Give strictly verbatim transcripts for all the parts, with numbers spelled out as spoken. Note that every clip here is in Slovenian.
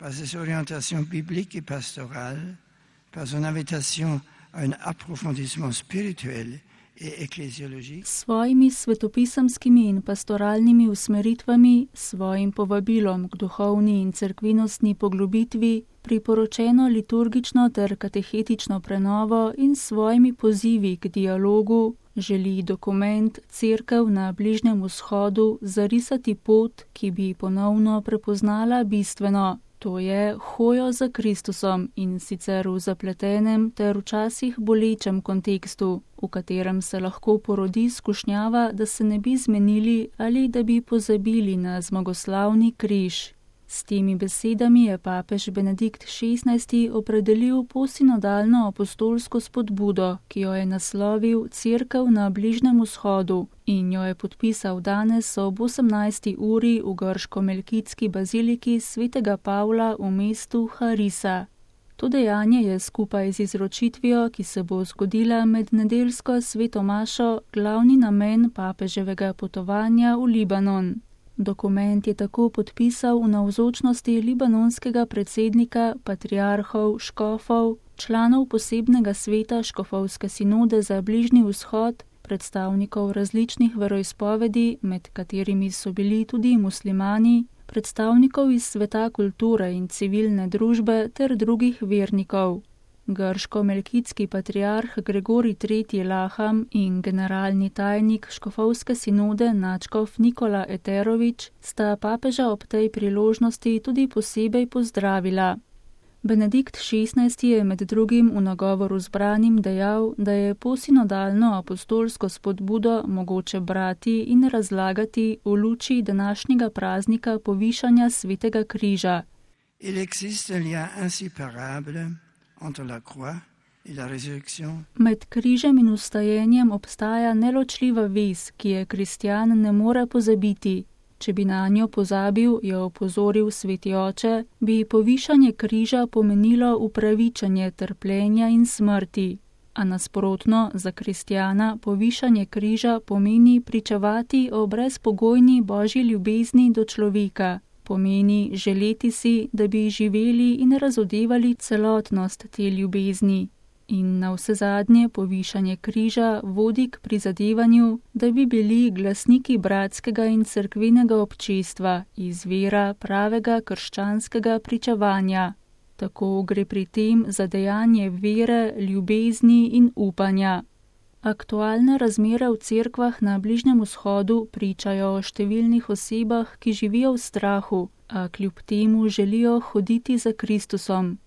par ses orientations bibliques et pastorales, par son invitation à un approfondissement spirituel et ecclésiologique. S svojimi svetopisemskimi in pastoralnimi usmeritvami, svojim povabilom k duhovni in cerkvenostni poglobitvi, priporočeno liturgično ter katehetično prenovo in svojimi pozivi k dialogu, želi dokument Cerkev na Bližnjem vzhodu zarisati pot, ki bi ponovno prepoznala bistveno, to je hojo za Kristusom in sicer v zapletenem ter včasih bolečem kontekstu, v katerem se lahko porodi skušnjava, da se ne bi zmenili ali da bi pozabili na zmagoslavni križ. S temi besedami je papež Benedikt šestnajsti opredelil posinodalno apostolsko spodbudo, ki jo je naslovil Cerkev na Bližnjem vzhodu in jo je podpisal danes ob osemnajsti uri v grško-melkitski baziliki svetega Pavla v mestu Harisa. To dejanje je skupaj z izročitvijo, ki se bo zgodila med nedeljsko sveto mašo, glavni namen papeževega potovanja v Libanon. Dokument je tako podpisal v navzočnosti libanonskega predsednika, patriarhov, škofov, članov posebnega sveta škofovske sinode za Bližnji vzhod, predstavnikov različnih veroizpovedi, med katerimi so bili tudi muslimani, predstavnikov iz sveta kulture in civilne družbe ter drugih vernikov. Grško-melkitski patriarh Gregorij tretji Laham in generalni tajnik škofovske sinode nadškof Nikola Eterovič sta papeža ob tej priložnosti tudi posebej pozdravila. Benedikt šestnajsti je med drugim v nagovoru zbranim dejal, da je posinodalno apostolsko spodbudo mogoče brati in razlagati v luči današnjega praznika povišanja svetega križa. Il existe un lien inséparable entre la croix et la résurrection. Med križem in vstajenjem obstaja neločljiva vez, ki je kristjan ne more pozabiti. Če bi na njo pozabil, je opozoril sveti oče, bi povišanje križa pomenilo upravičenje trpljenja in smrti. A nasprotno, za kristjana povišanje križa pomeni pričevati o brezpogojni božji ljubezni do človeka. Pomeni želeti si, da bi živeli in razodevali celotnost te ljubezni. In navsezadnje povišanje križa vodi k prizadevanju, da bi bili glasniki bratskega in cerkvenega občestva, izvira pravega krščanskega pričevanja. Tako gre pri tem za dejanje vere, ljubezni in upanja. Aktualne razmere v cerkvah na Bližnjem vzhodu pričajo o številnih osebah, ki živijo v strahu, a kljub temu želijo hoditi za Kristusom.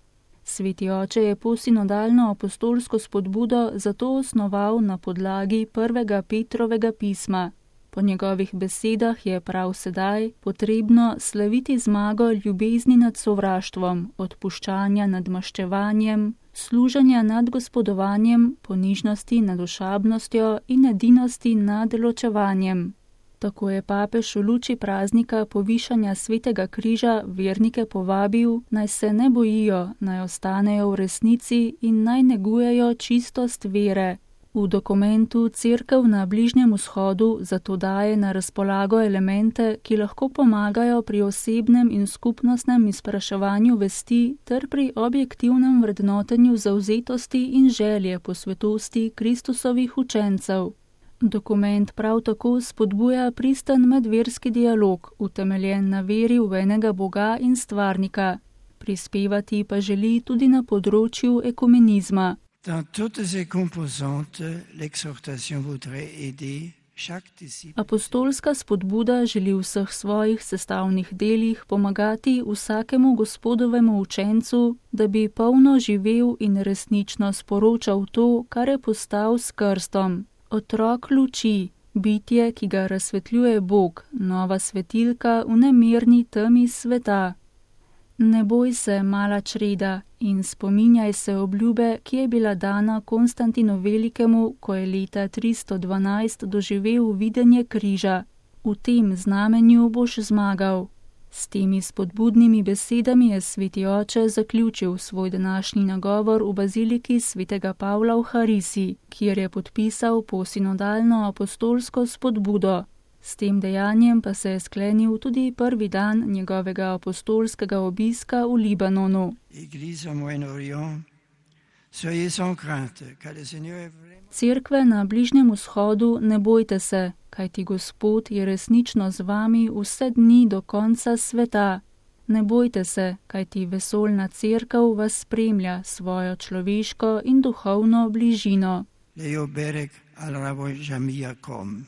Sveti oče je posinodalno apostolsko spodbudo zato osnoval na podlagi prvega Petrovega pisma. Po njegovih besedah je prav sedaj potrebno slaviti zmago ljubezni nad sovraštvom, odpuščanja nad maščevanjem, služenja nad gospodovanjem, ponižnosti nad ošabnostjo in edinosti nad ločevanjem. Tako je papež v luči praznika povišanja svetega križa vernike povabil, naj se ne bojijo, naj ostanejo v resnici in naj negujejo čistost vere. V dokumentu Cerkev na Bližnjem vzhodu zato daje na razpolago elemente, ki lahko pomagajo pri osebnem in skupnostnem izpraševanju vesti ter pri objektivnem vrednotenju zavzetosti in želje po svetosti Kristusovih učencev. Dokument prav tako spodbuja pristen medverski dialog, utemeljen na veri v enega Boga in stvarnika. Prispevati pa želi tudi na področju ekumenizma. Dans toutes ses composantes, l'exhortation voudrait aider chaque disciple. Apostolska spodbuda želi v vseh svojih sestavnih delih pomagati vsakemu gospodovemu učencu, da bi polno živel in resnično sporočal to, kar je postal s krstom. Otrok luči, bitje, ki ga razsvetljuje Bog, nova svetilka v nemirni temi sveta. Ne boj se, mala čreda, in spominjaj se obljube, ki je bila dana Konstantinu Velikemu, ko je leta tristo dvanajst doživel videnje križa. V tem znamenju boš zmagal. S temi spodbudnimi besedami je sveti oče zaključil svoj današnji nagovor v baziliki svetega Pavla v Harisi, kjer je podpisal posinodalno apostolsko spodbudo. S tem dejanjem pa se je sklenil tudi prvi dan njegovega apostolskega obiska v Libanonu. Cerkve na Bližnjem vzhodu, ne bojte se, kajti Gospod je resnično z vami vse dni do konca sveta. Ne bojte se, kajti vesoljna cerkev vas spremlja svojo človeško in duhovno bližino. Leo Berek al Rabo Jamia Kom.